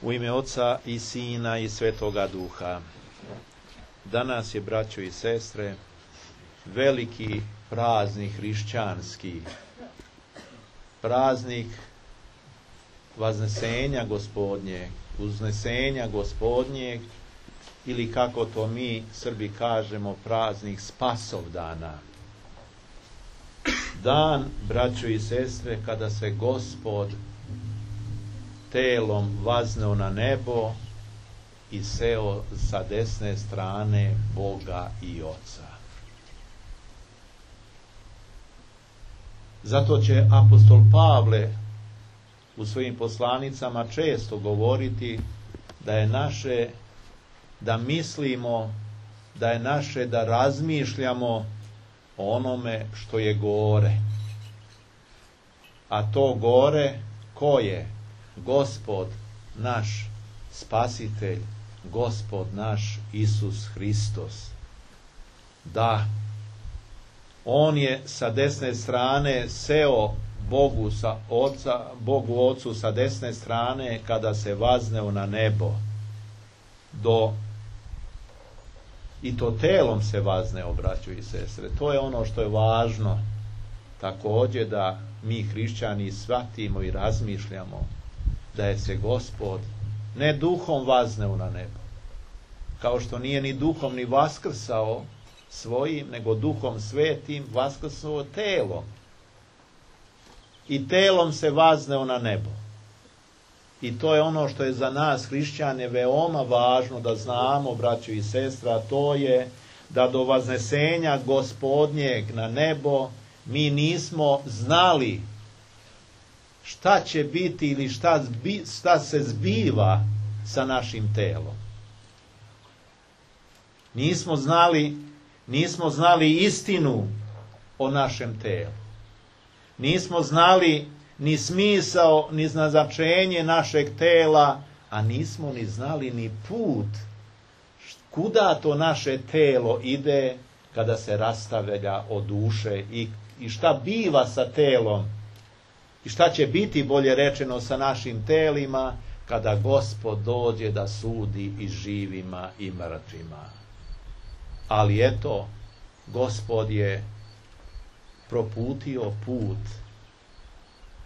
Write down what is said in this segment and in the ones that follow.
U ime Oca i Sina i Svetoga Duha. Danas je, braćo i sestre, veliki praznik hrišćanski, praznik Vaznesenja Gospodnjeg, uznesenja Gospodnjeg, ili kako to mi Srbi kažemo, praznik Spasovdana. Dan, braćo i sestre, kada se Gospod telom vazneo na nebo i seo sa desne strane Boga i Oca. Zato će apostol Pavle u svojim poslanicama često govoriti da je naše da mislimo, da je naše da razmišljamo o onome što je gore. A to gore ko je? Gospod naš Spasitelj, Gospod naš Isus Hristos. Da, on je sa desne strane seo Bogu Ocu sa desne strane kada se vazneo na nebo. I to telom se vazneo, braćo i sestre. To je ono što je važno također da mi hrišćani shvatimo i razmišljamo, da je se Gospod ne duhom vazneo na nebo, kao što nije ni duhom ni vaskrsao svojim, nego duhom svetim vaskrsao telom. I telom se vazneo na nebo. I to je ono što je za nas hrišćane veoma važno da znamo, braćo i sestra, to je da do vaznesenja Gospodnjeg na nebo mi nismo znali šta će biti ili šta se zbiva sa našim telom. Nismo znali istinu o našem telu. Nismo znali ni smisao, ni značenje našeg tela, a nismo ni znali ni put kuda to naše telo ide kada se rastavlja od duše i šta biva sa telom i šta će biti, bolje rečeno, sa našim telima kada Gospod dođe da sudi i živima i mrtvima. Ali eto, Gospod je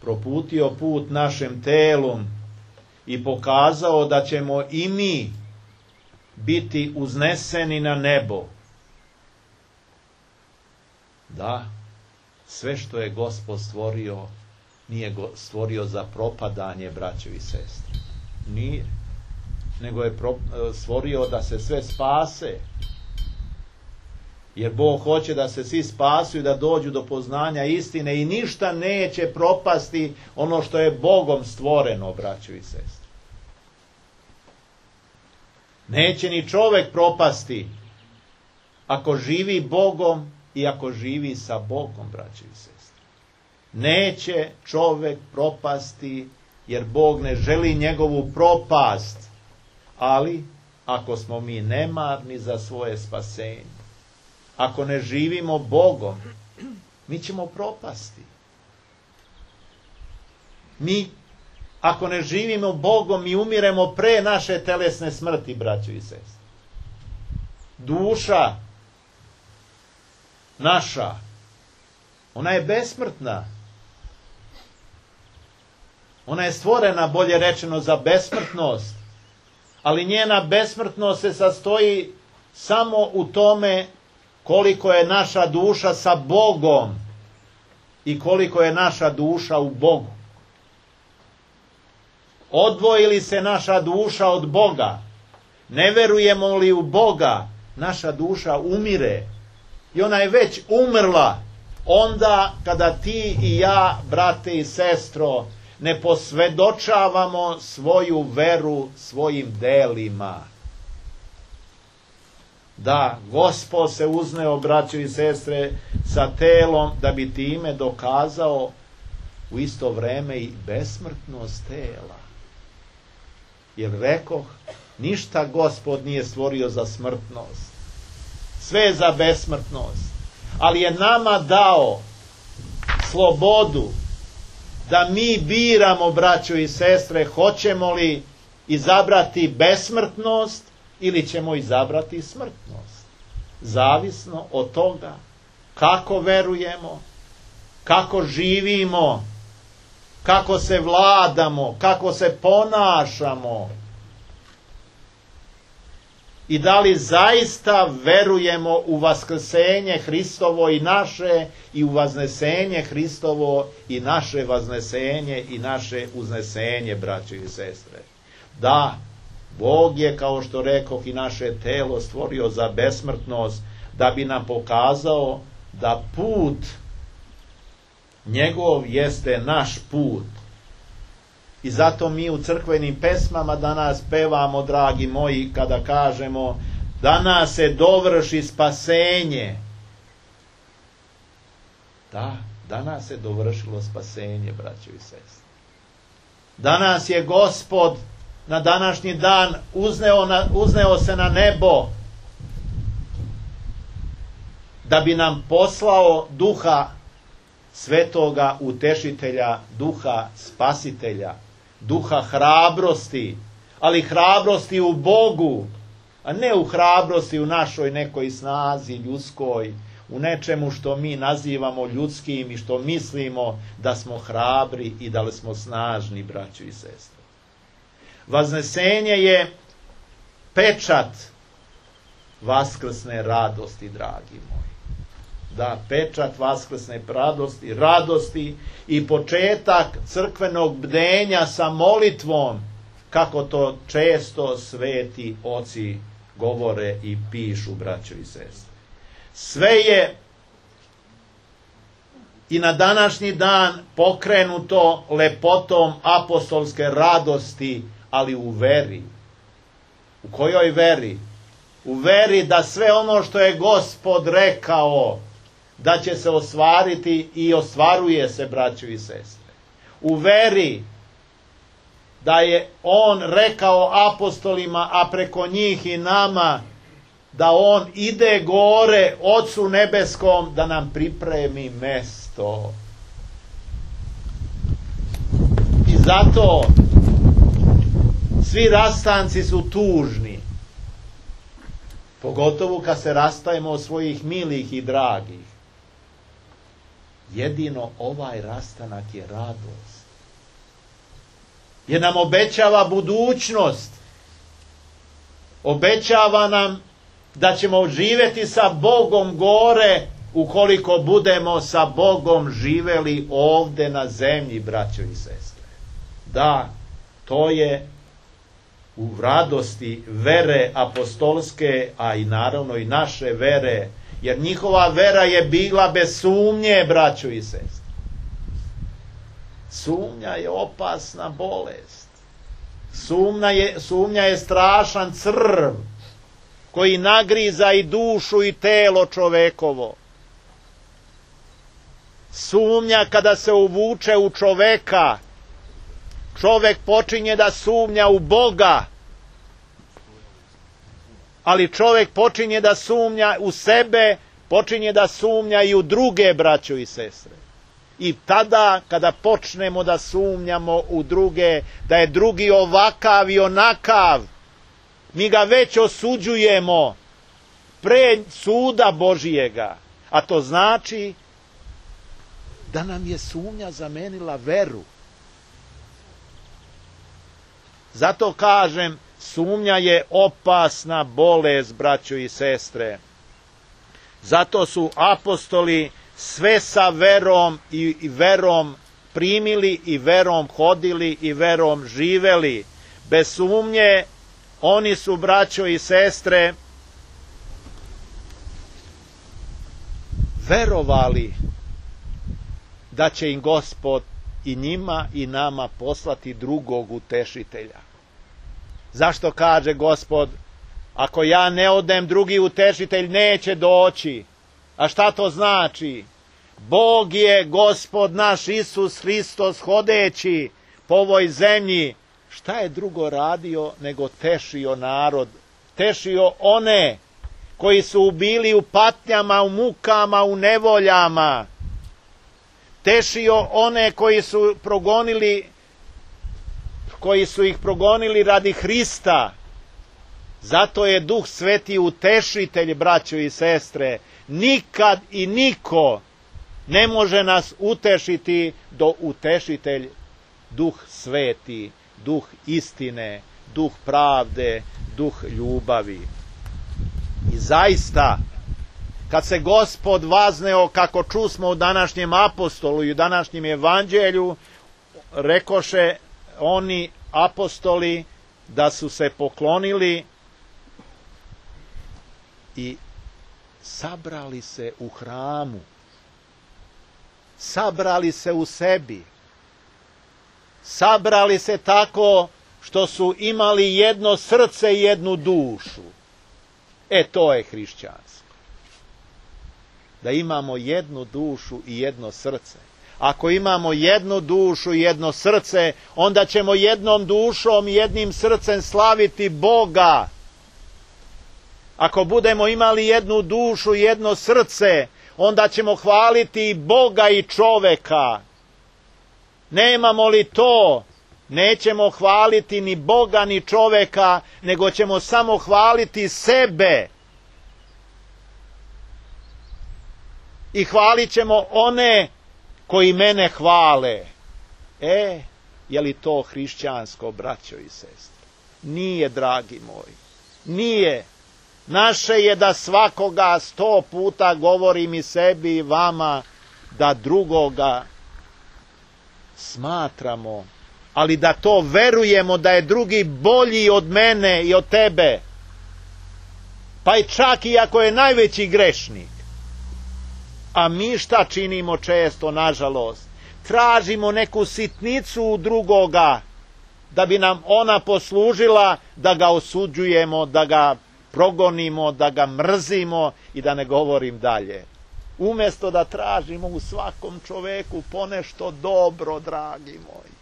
proputio put našem telu i pokazao da ćemo i mi biti uzneseni na nebo. Da, sve što je Gospod stvorio, nije stvorio za propadanje, braćo i sestre. Nije. Nego je stvorio da se sve spase. Jer Bog hoće da se svi spasu i da dođu do poznanja istine i ništa neće propasti ono što je Bogom stvoreno, braćo i sestre. Neće ni čovek propasti ako živi Bogom i ako živi sa Bogom, braćo i sestre. Neće čovek propasti jer Bog ne želi njegovu propast, ali ako smo mi nemarni za svoje spasenje, ako ne živimo Bogom, mi ćemo propasti. Ako ne živimo Bogom, mi umiremo pre naše telesne smrti, braćo i sestre. Duša naša, ona je besmrtna. Ona je stvorena, bolje rečeno, za besmrtnost. Ali njena besmrtnost se sastoji samo u tome koliko je naša duša sa Bogom i koliko je naša duša u Bogu. Odvojili se naša duša od Boga, ne verujemo li u Boga, naša duša umire. I ona je već umrla onda kada ti i ja, brate i sestro, ne posvedočavamo svoju veru svojim delima. Da, Gospod se uzneo, braćo i sestre, sa telom da bi time dokazao u isto vreme i besmrtnost tela. Jer rekoh, ništa Gospod nije stvorio za smrtnost. Sve je za besmrtnost. Ali je nama dao slobodu da mi biramo, braćo i sestre, hoćemo li izabrati besmrtnost ili ćemo izabrati smrtnost. Zavisno od toga kako verujemo, kako živimo, kako se vladamo, kako se ponašamo i da li zaista verujemo u vaskrsenje Hristovo i naše i u vaznesenje Hristovo i naše vaznesenje i naše uznesenje, braćo i sestre. Da, Bog je, kao što rekoh, i naše telo stvorio za besmrtnost, da bi nam pokazao da put njegov jeste naš put. I zato mi u crkvenim pesmama danas pevamo, dragi moji, kada kažemo danas se dovrši spasenje. Da, danas se dovršilo spasenje, braćo i sestre. Danas je Gospod na današnji dan uzneo se na nebo da bi nam poslao Duha Svetoga Utešitelja, Duha Spasitelja, Duha hrabrosti, ali hrabrosti u Bogu, a ne u hrabrosti u našoj nekoj snazi ljudskoj, u nečemu što mi nazivamo ljudskim i što mislimo da smo hrabri i da li smo snažni, braćo i sestre. Vaznesenje je pečat vaskrsne radosti, dragi moji. Da, pečat vaskrsne radosti i početak crkvenog bdenja sa molitvom, kako to često sveti oci govore i pišu, braćo i sestre. Sve je i na današnji dan pokrenuto lepotom apostolske radosti, ali u veri. U kojoj veri? U veri da sve ono što je Gospod rekao da će se ostvariti i ostvaruje se, braćo i sestre. U veri da je on rekao apostolima, a preko njih i nama, da on ide gore Otcu nebeskom da nam pripremi mesto. I zato svi rastanci su tužni. Pogotovo kad se rastajemo od svojih milih i dragih. Jedino ovaj rastanak je radost. Jer nam obećava budućnost. Obećava nam da ćemo živjeti sa Bogom gore ukoliko budemo sa Bogom živeli ovdje na zemlji, braćo i sestre. Da, to je u radosti vere apostolske, a i naravno i naše vere, jer njihova vera je bila bez sumnje, braćo i sestre. Sumnja je opasna bolest. Sumnja je strašan crv koji nagriza i dušu i telo čovekovo. Sumnja kada se uvuče u čoveka, čovek počinje da sumnja u Boga, ali čovek počinje da sumnja u sebe, počinje da sumnja i u druge, braćo i sestre. I tada kada počnemo da sumnjamo u druge, da je drugi ovakav i onakav, mi ga već osuđujemo pre suda Božijega. A to znači da nam je sumnja zamenila veru. Zato kažem, sumnja je opasna bolest, braćo i sestre. Zato su apostoli sve sa verom i verom primili i verom hodili i verom živeli. Bez sumnje, oni su, braćo i sestre, verovali da će im Gospod i njima i nama poslati drugog utešitelja. Zašto kaže Gospod, ako ja ne odem, drugi utešitelj neće doći? A šta to znači? Bog je Gospod naš Isus Hristos hodeći po ovoj zemlji. Šta je drugo radio nego tešio narod? Tešio one koji su bili u patnjama, u mukama, u nevoljama. tešio one koji su ih progonili radi Hrista. Zato je Duh Sveti utešitelj, braćo i sestre. Nikad i niko ne može nas utešiti do utešitelj Duh Sveti, Duh istine, Duh pravde, Duh ljubavi. I zaista, kad se Gospod vazneo, kako čusmo u današnjem apostolu i u današnjem evanđelju, rekoše oni apostoli da su se poklonili i sabrali se u hramu, sabrali se u sebi, sabrali se tako što su imali jedno srce i jednu dušu. To je hrišćanstvo. Da imamo jednu dušu i jedno srce. Ako imamo jednu dušu i jedno srce, onda ćemo jednom dušom i jednim srcem slaviti Boga. Ako budemo imali jednu dušu i jedno srce, onda ćemo hvaliti i Boga i čoveka. Nemamo li to, nećemo hvaliti ni Boga ni čoveka, nego ćemo samo hvaliti sebe. I hvalit ćemo one koji mene hvale. Je li to hrišćansko, braćo i sestre? Nije, dragi moji. Nije. Naše je da svakoga 100 puta govorim i sebi i vama, da drugoga smatramo, ali da to verujemo da je drugi bolji od mene i od tebe. Pa i čak i ako je najveći grešnik. A mi šta činimo često, nažalost? Tražimo neku sitnicu u drugoga, da bi nam ona poslužila da ga osuđujemo, da ga progonimo, da ga mrzimo i da ne govorim dalje. Umjesto da tražimo u svakom čoveku ponešto dobro, dragi moji.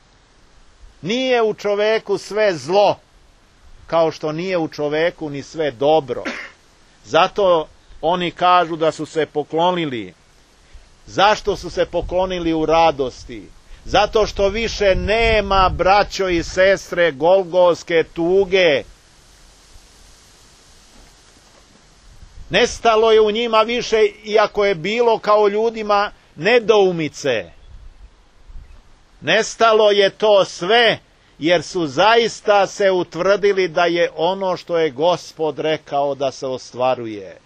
Nije u čoveku sve zlo, kao što nije u čoveku ni sve dobro. Zato oni kažu da su se poklonili. Zašto su se poklonili u radosti? Zato što više nema, braćo i sestre, golgotske tuge. Nestalo je u njima više, iako je bilo kao ljudima, nedoumice. Nestalo je to sve, jer su zaista se utvrdili da je ono što je Gospod rekao da se ostvaruje.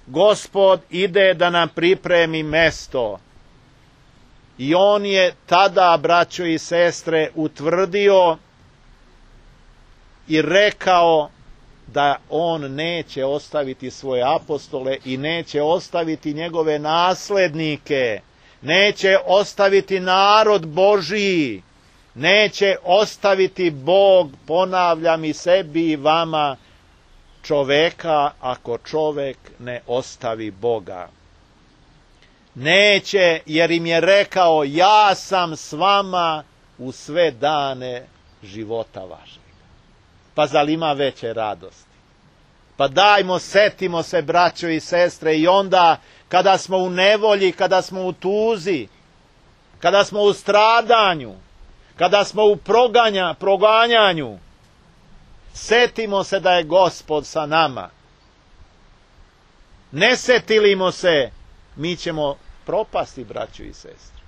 Gospod ide da nam pripremi mesto. I on je tada, braćo i sestre, utvrdio i rekao da on neće ostaviti svoje apostole i neće ostaviti njegove naslednike, neće ostaviti narod Božiji, neće ostaviti Bog, ponavljam i sebi i vama, čoveka ako čovek ne ostavi Boga. Neće, jer im je rekao, ja sam s vama u sve dane života vašeg. Pa zar ima veće radosti? Pa dajmo, setimo se, braćo i sestre, i onda kada smo u nevolji, kada smo u tuzi, kada smo u stradanju, kada smo u proganjanju, setimo se da je Gospod sa nama. Ne setilimo se, mi ćemo propasti, braćo i sestre.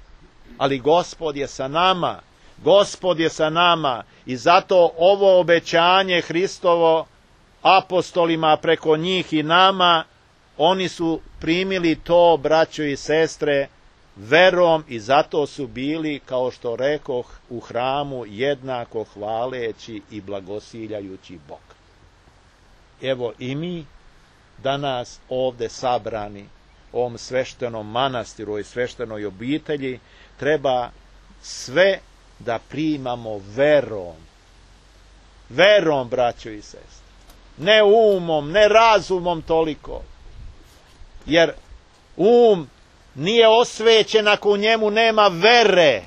Ali Gospod je sa nama. Gospod je sa nama i zato ovo obećanje Hristovo apostolima preko njih i nama, oni su primili to, braćo i sestre, verom i zato su bili, kao što rekoh, u hramu jednako hvaleći i blagosiljajući Bog. Evo i mi danas ovde sabrani u ovom sveštenom manastiru i sveštenoj obitelji treba sve da primamo verom. Verom, braćo i sestre. Ne umom, ne razumom toliko. Jer nije osvećen ako u njemu nema vere.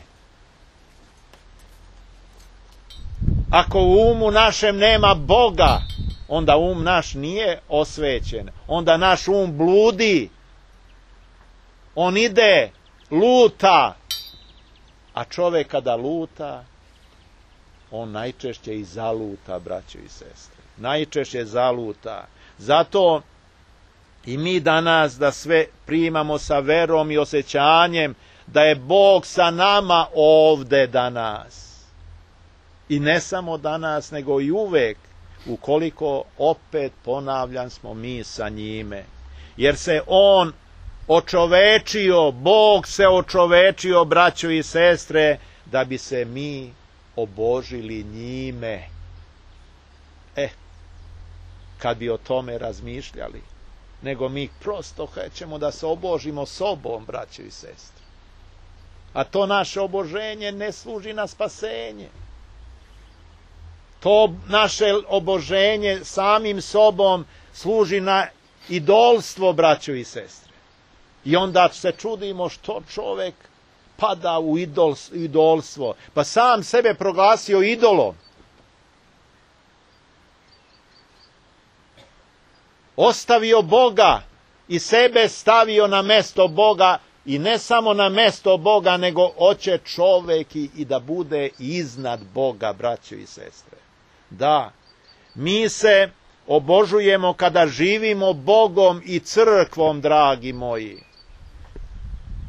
Ako u umu našem nema Boga, onda naš nije osvećen. Onda naš bludi. On ide luta. A čovjek kada luta, on najčešće i zaluta, braćo i sestre. Najčešće zaluta. Zato i mi danas da sve primamo sa verom i osjećanjem da je Bog sa nama ovde danas. I ne samo danas, nego i uvek, ukoliko opet ponavljam smo mi sa njime. Jer se on očovečio, Bog se očovečio, braćo i sestre, da bi se mi obožili njime. Kad bi o tome razmišljali, nego mi prosto hoćemo da se obožimo sobom, braćo i sestre. A to naše oboženje ne služi na spasenje. To naše oboženje samim sobom služi na idolstvo, braćo i sestre. I onda se čudimo što čovjek pada u idolstvo. Pa sam sebe proglasio idolom. Ostavio Boga i sebe stavio na mesto Boga, i ne samo na mesto Boga, nego hoće čovjek i da bude iznad Boga, braćo i sestre. Da, mi se obožujemo kada živimo Bogom i crkvom, dragi moji.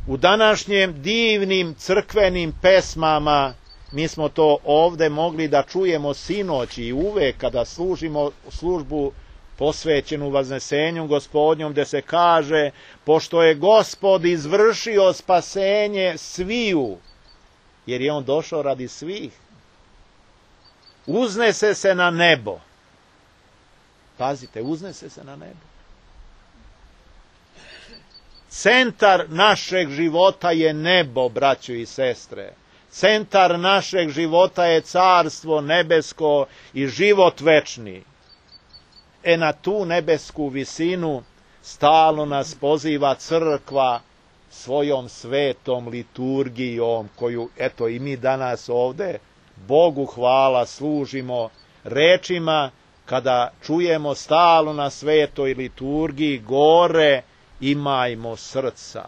U današnjem divnim crkvenim pesmama, mi smo to ovde mogli da čujemo sinoć i uvek kada služimo službu posvećenu Vaznesenju Gospodnjom, gde se kaže: pošto je Gospod izvršio spasenje sviju, jer je on došao radi svih, uznese se na nebo. Pazite, uznese se na nebo. Centar našeg života je nebo, braćo i sestre. Centar našeg života je carstvo nebesko i život večni. Na tu nebesku visinu stalno nas poziva crkva svojom svetom liturgijom, koju, eto, i mi danas ovde, Bogu hvala, služimo rečima kada čujemo stalno na svetoj liturgiji: gore imajmo srca.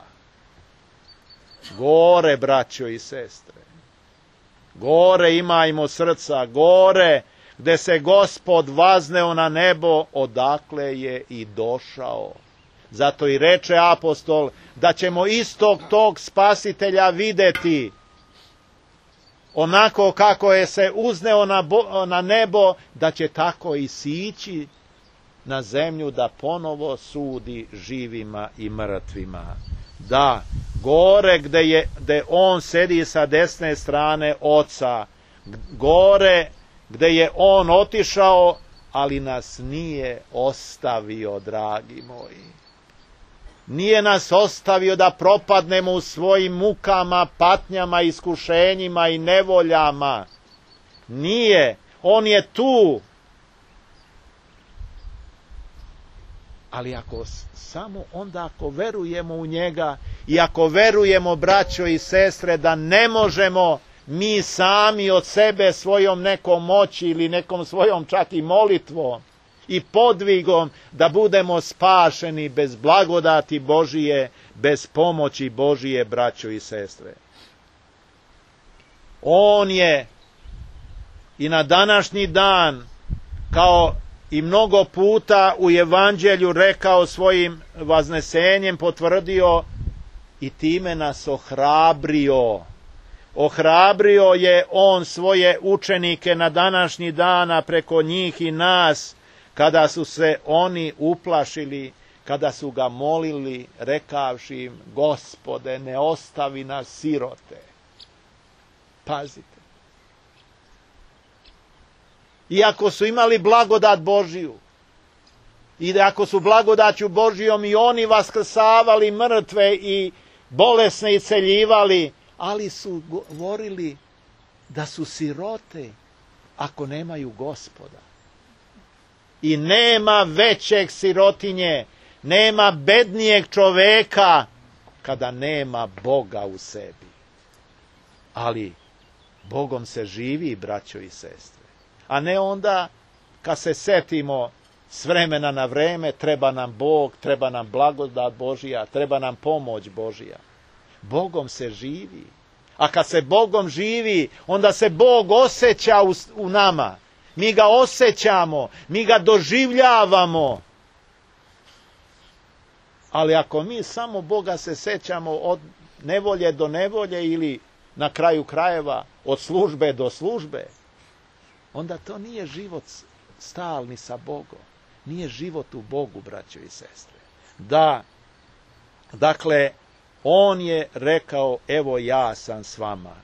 Gore, braćo i sestre. Gore imajmo srca, gore gde se Gospod vazneo na nebo, odakle je i došao. Zato i reče apostol da ćemo istog tog spasitelja videti onako kako je se uzneo na nebo, da će tako i sići na zemlju da ponovo sudi živima i mrtvima. Da, gore gde on sedi sa desne strane Oca, gore gde je on otišao, ali nas nije ostavio, dragi moji. Nije nas ostavio da propadnemo u svojim mukama, patnjama, iskušenjima i nevoljama. Nije. On je tu. Ali samo onda ako verujemo u njega i ako verujemo, braćo i sestre, da ne možemo mi sami od sebe svojom nekom moći ili nekom svojom čak i molitvom i podvigom da budemo spašeni bez blagodati Božije, bez pomoći Božije, braćo i sestre. On je i na današnji dan, kao i mnogo puta u Evanđelju rekao, svojim vaznesenjem potvrdio i time nas ohrabrio. Ohrabrio je on svoje učenike na današnji dan preko njih i nas, kada su se oni uplašili, kada su ga molili, rekavši im: Gospode, ne ostavi nas sirote. Pazite. Iako su imali blagodat Božiju, i ako su blagodaću Božijom i oni vaskrsavali mrtve i bolesne isceljivali, ali su govorili da su sirote ako nemaju Gospoda. I nema većeg sirotinje, nema bednijeg čoveka kada nema Boga u sebi. Ali Bogom se živi, braćo i sestre. A ne onda kad se setimo s vremena na vreme, treba nam Bog, treba nam blagodat Božija, treba nam pomoć Božija. Bogom se živi. A kad se Bogom živi, onda se Bog osjeća u nama. Mi ga osjećamo, mi ga doživljavamo. Ali ako mi samo Boga se sjećamo od nevolje do nevolje ili na kraju krajeva od službe do službe, onda to nije život stalni sa Bogom. Nije život u Bogu, braćo i sestre. Da, dakle, on je rekao, evo ja sam s vama.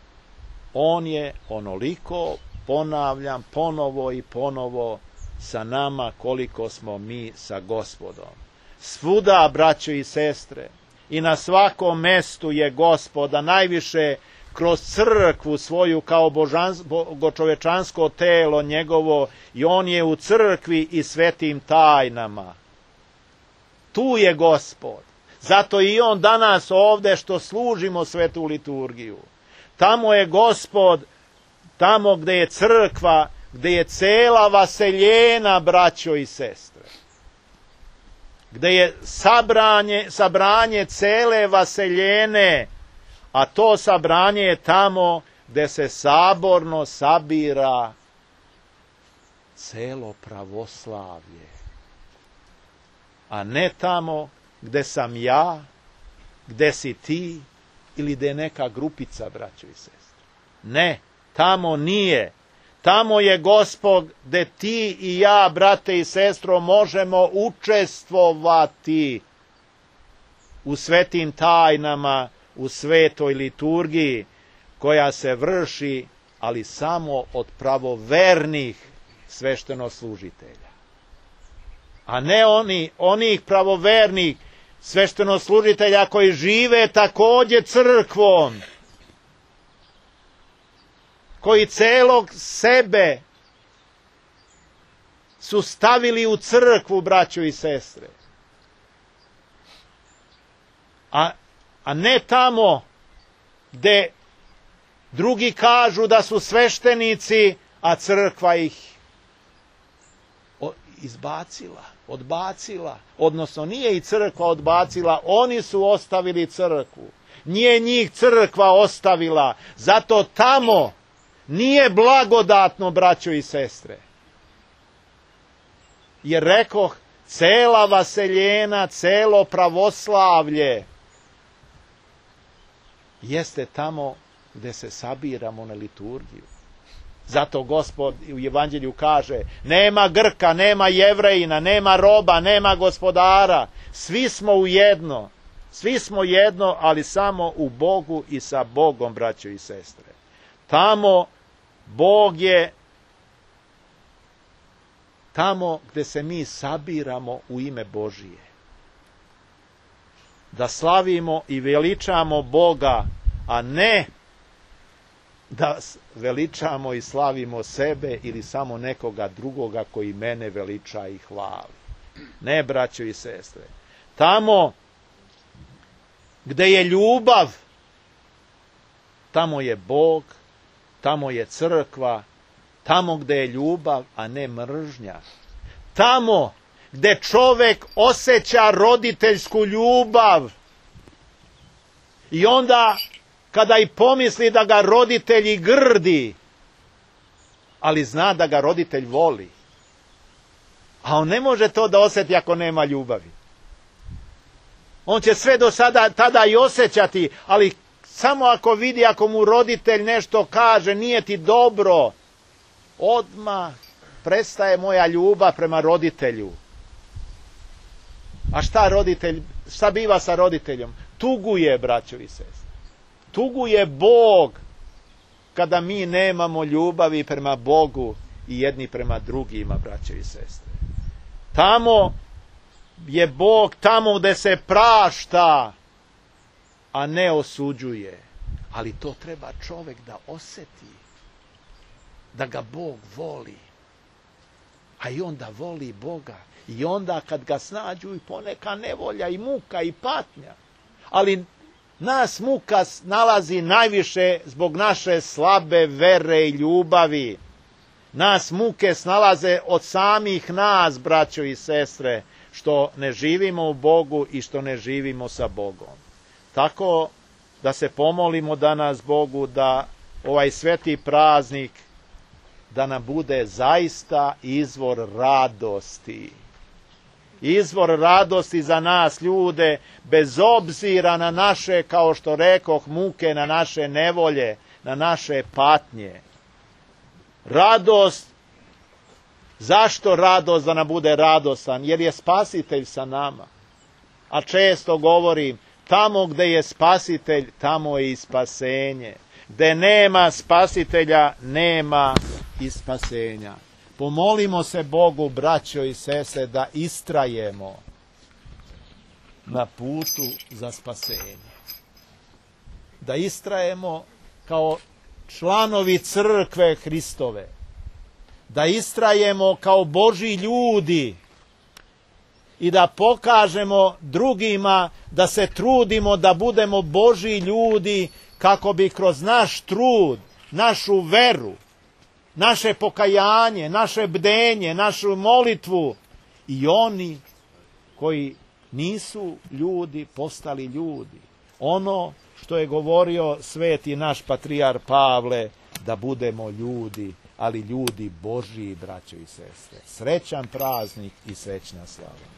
On je onoliko, ponavljam, ponovo i ponovo sa nama koliko smo mi sa Gospodom. Svuda, braćo i sestre, i na svakom mestu je Gospoda, najviše kroz crkvu svoju kao bogočovečansko telo njegovo, i on je u crkvi i svetim tajnama. Tu je Gospod. Zato i on danas ovdje što služimo svetu liturgiju. Tamo je Gospod, tamo gdje je crkva, gdje je cela vaseljena, braćo i sestre. Gdje je sabranje cele vaseljene, a to sabranje je tamo gdje se saborno sabira celo pravoslavlje. A ne tamo gdje sam ja, gdje si ti ili gdje je neka grupica, braćo i sestre. Ne, tamo nije. Tamo je Gospod gdje ti i ja, brate i sestro, možemo učestvovati u svetim tajnama, u svetoj liturgiji koja se vrši, ali samo od pravovernih sveštenoslužitelja. A ne onih pravovernih sveštenoslužitelja koji žive također crkvom, koji celog sebe su stavili u crkvu, braćo i sestre. A ne tamo gdje drugi kažu da su sveštenici, a crkva ih odbacila. Odnosno nije i crkva odbacila, oni su ostavili crkvu. Nije njih crkva ostavila, zato tamo nije blagodatno, braćo i sestre. Jer rekoh, cela vaseljena, celo pravoslavlje jeste tamo gdje se sabiramo na liturgiju. Zato Gospod u Evanđelju kaže, nema Grka, nema Jevrejina, nema roba, nema gospodara. Svi smo jedno, ali samo u Bogu i sa Bogom, braćo i sestre. Tamo Bog je, tamo gdje se mi sabiramo u ime Božije. Da slavimo i veličamo Boga, a ne da veličamo i slavimo sebe ili samo nekoga drugoga koji mene veliča i hvali. Ne, braćo i sestre. Tamo gdje je ljubav, tamo je Bog, tamo je crkva, tamo gdje je ljubav, a ne mržnja. Tamo gdje čovjek osjeća roditeljsku ljubav i onda kada i pomisli da ga roditelji grdi, ali zna da ga roditelj voli. A on ne može to da osjeti ako nema ljubavi. On će sve do sada tada i osjećati, ali samo ako vidi, ako mu roditelj nešto kaže, nije ti dobro, odmah prestaje moja ljubav prema roditelju. A šta biva sa roditeljom? Tuguje, braćo i sestre. Tuguje Bog kada mi nemamo ljubavi prema Bogu i jedni prema drugima, braćo i sestre. Tamo je Bog, tamo gdje se prašta, a ne osuđuje. Ali to treba čovjek da osjeti, da ga Bog voli. A i onda voli Boga. I onda kad ga snađu i poneka nevolja i muka i patnja. Ali nas muka nalazi najviše zbog naše slabe vere i ljubavi. Nas muke snalaze od samih nas, braćo i sestre, što ne živimo u Bogu i što ne živimo sa Bogom. Tako da se pomolimo danas Bogu da ovaj sveti praznik da nam bude zaista izvor radosti. Izvor radosti za nas ljude, bez obzira na naše, kao što rekoh, muke, na naše nevolje, na naše patnje. Radost, zašto radost da nam bude radostan? Jer je Spasitelj sa nama. A često govorim, tamo gde je Spasitelj, tamo je i spasenje. Gde nema Spasitelja, nema i spasenja. Pomolimo se Bogu, braćo i sestre, da istrajemo na putu za spasenje. Da istrajemo kao članovi crkve Hristove. Da istrajemo kao Božji ljudi i da pokažemo drugima da se trudimo da budemo Božji ljudi kako bi kroz naš trud, našu veru, naše pokajanje, naše bdenje, našu molitvu i oni koji nisu ljudi postali ljudi. Ono što je govorio sveti naš patrijar Pavle, da budemo ljudi, ali ljudi Božji, braćo i sestre. Srećan praznik i srećna slava.